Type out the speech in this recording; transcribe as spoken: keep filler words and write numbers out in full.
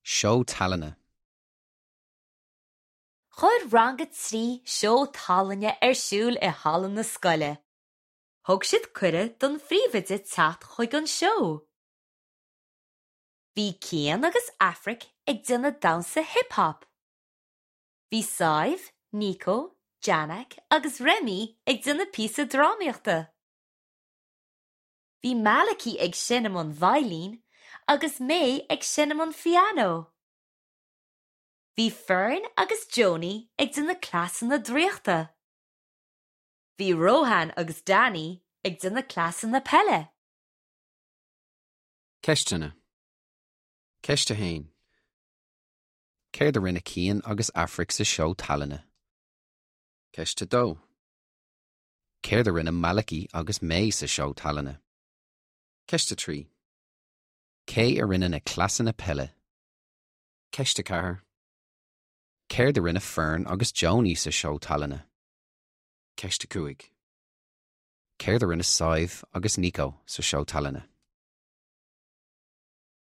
Seó tallainne. Chuir rang a trí seó tallainne ar siúl i halla na scoile. Thug siad cuireadh don phríomhoide teacht chuig an seó. Bhí Cian agus Aifric ag déanamh damhsa hip-hop. Bhí Sadhbh, Nico, Janek agus Remy ag déanamh píosa drámaíochta. Bhí Malachi ag seinm an veidhlín agus mé ag seinm an phianó. Bhí Fern agus Joni ag déanamh cleasanna draíochta. Bhí Rohan agus Danny ag déanamh cleasanna peile. Ceisteanna. Ceist a haon. Céard a rinne Cian agus Aifric sa seó tallainne. Ceist a dó. Céard a rinne Malachi agus May sa seó tallainne. Ceist a trí. Cé a rinne na cleasanna peile. Ceist a ceathair. Céard a rinne Fern agus Joni sa seó tallainne. Ceist a cúig. Céard a rinne Sadhbh agus Nico sa seó tallainne.